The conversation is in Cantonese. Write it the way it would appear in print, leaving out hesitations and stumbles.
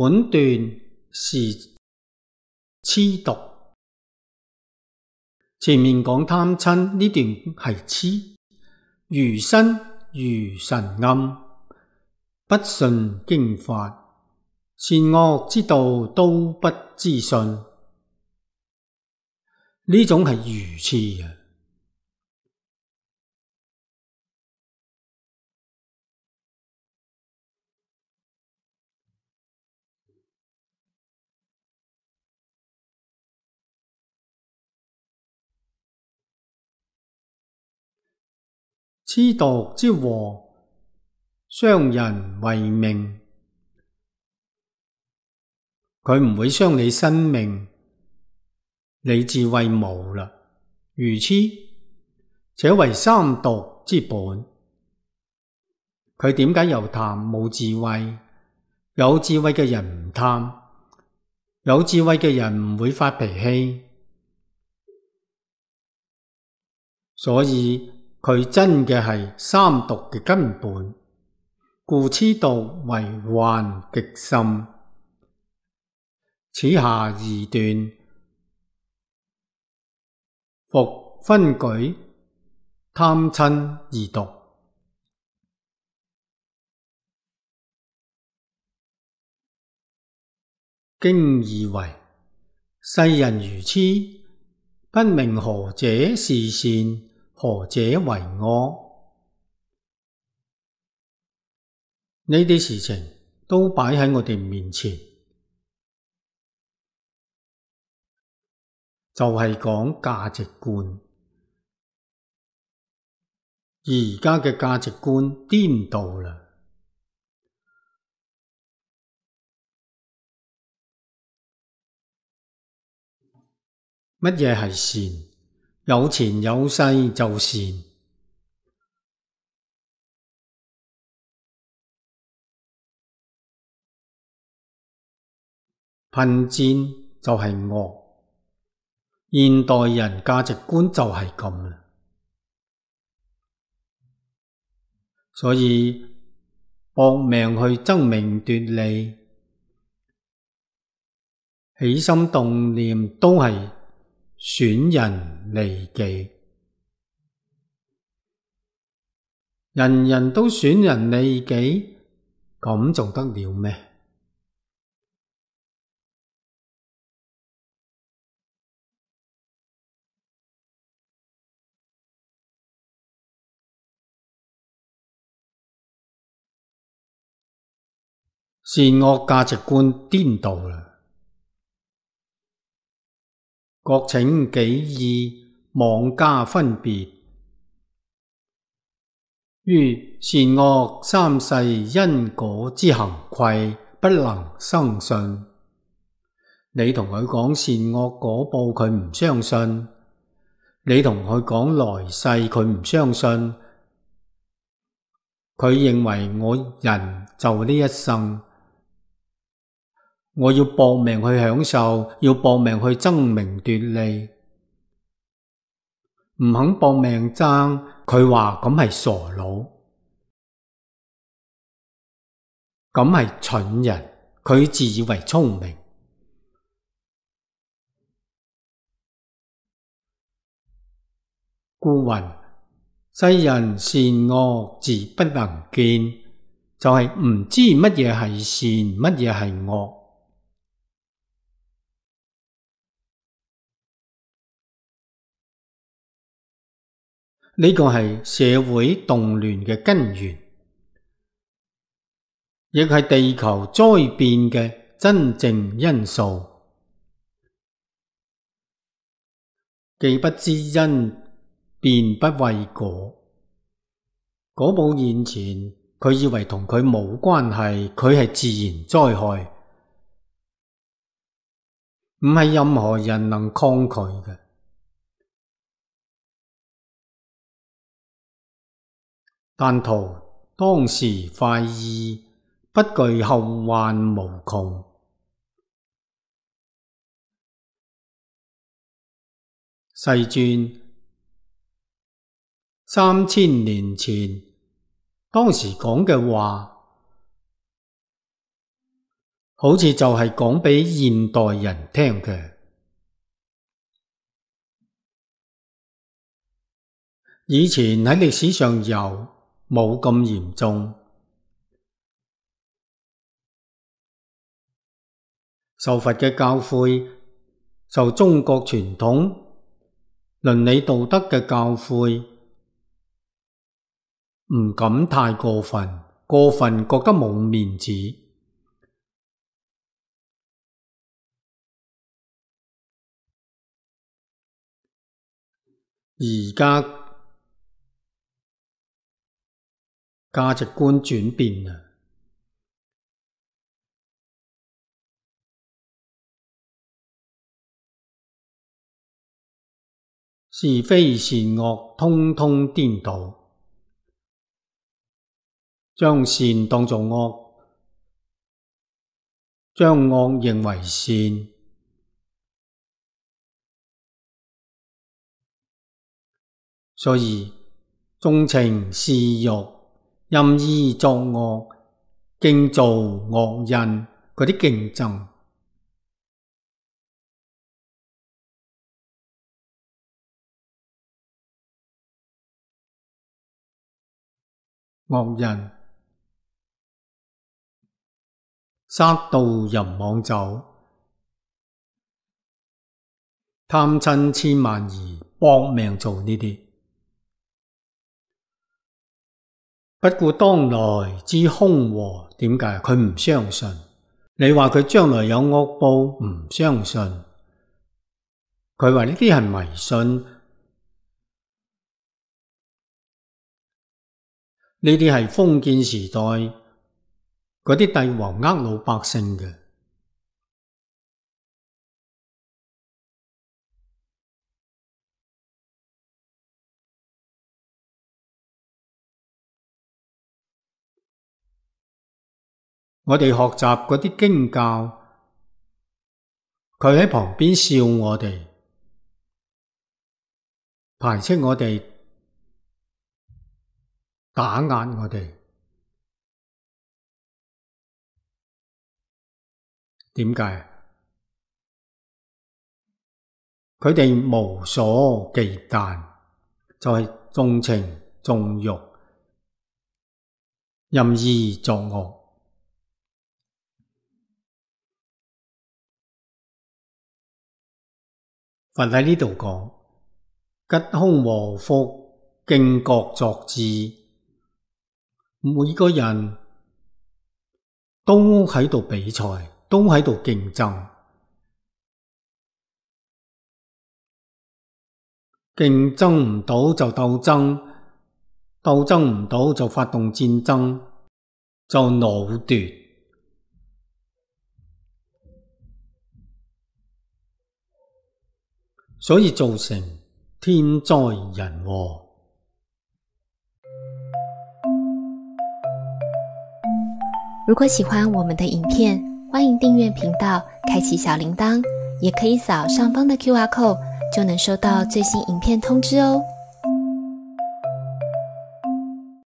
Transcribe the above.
本段是痴讀。前面講貪嗔呢段係痴，愚身愚神暗，不信經法，善惡之道都不知信，呢種係愚痴啊！痴讀之禍，傷人為命，佢唔會傷你生命，你智慧無啦，愚痴，且為三毒之本。佢點解又貪冇智慧？有智慧嘅人唔貪，有智慧嘅人唔會發脾氣，所以佢真嘅係三毒嘅根本，故痴毒為患極深。此下二段復分舉貪嗔二毒。經義為：世人愚痴，不明何者是善，何者為惡。呢啲事情都擺喺我哋面前，就係講價值觀。而家嘅價值觀顛倒啦。乜嘢係善？有錢有勢就善。貧賤就係惡。現代人價值觀就係咁啦。所以搏命去爭名奪利，起心動念都係損人利己，人人都損人利己，咁仲得了咩？善惡價值觀顛倒啦，各請己意，妄加分別。於善惡三世因果之行愧，不能生信。你同佢講善惡果報，佢唔相信；你同佢講來世，佢唔相信。佢認為我人就呢一生，我要搏命去享受，要搏命去爭名奪利，唔肯搏命爭，佢話咁係傻佬，咁係蠢人，佢自以為聰明。故云：世人善惡自不能見，就係唔知乜嘢係善，乜嘢係惡。呢個係社會動亂嘅根源，亦係地球災變嘅真正因素。既不知因，便不畏果。果報現前，佢以為同佢冇關係，佢係自然災害，唔係任何人能抗拒嘅。但圖當時快意，不懼後患無窮。世尊3000年前當時講嘅話，好似就係講俾現代人聽嘅。以前喺歷史上冇咁嚴重。受佛嘅教誨，受中國傳統倫理道德嘅教誨，唔敢太過分，過分覺得冇面子。而家價值觀轉變啦。是非善惡通通顛倒，將善當作惡，將惡認為善。所以縱情肆欲，任意作惡，競造惡因嗰啲競爭。惡人殺盜淫妄酒，貪嗔痴慢疑，搏命做呢啲。不顧當來之兇禍，點解？佢唔相信。你話佢將來有惡報，唔相信。佢話呢啲係迷信。呢啲係封建時代嗰啲帝王呃老百姓嘅。我哋學習嗰啲經教，佢喺旁邊笑我哋，排斥我哋，打壓我哋。點解？佢哋無所忌憚，就係縱情縱慾，任意作惡。佛喺呢度講，吉凶禍福，競各作之。每個人都喺度比賽，都喺度競爭。競爭唔到就鬥爭，鬥爭唔到就發動戰爭，就惱奪。所以造成天災人禍。如果喜歡我們的影片，歡迎訂閱頻道，開啟小鈴鐺，也可以掃上方的QR code，就能收到最新影片通知哦。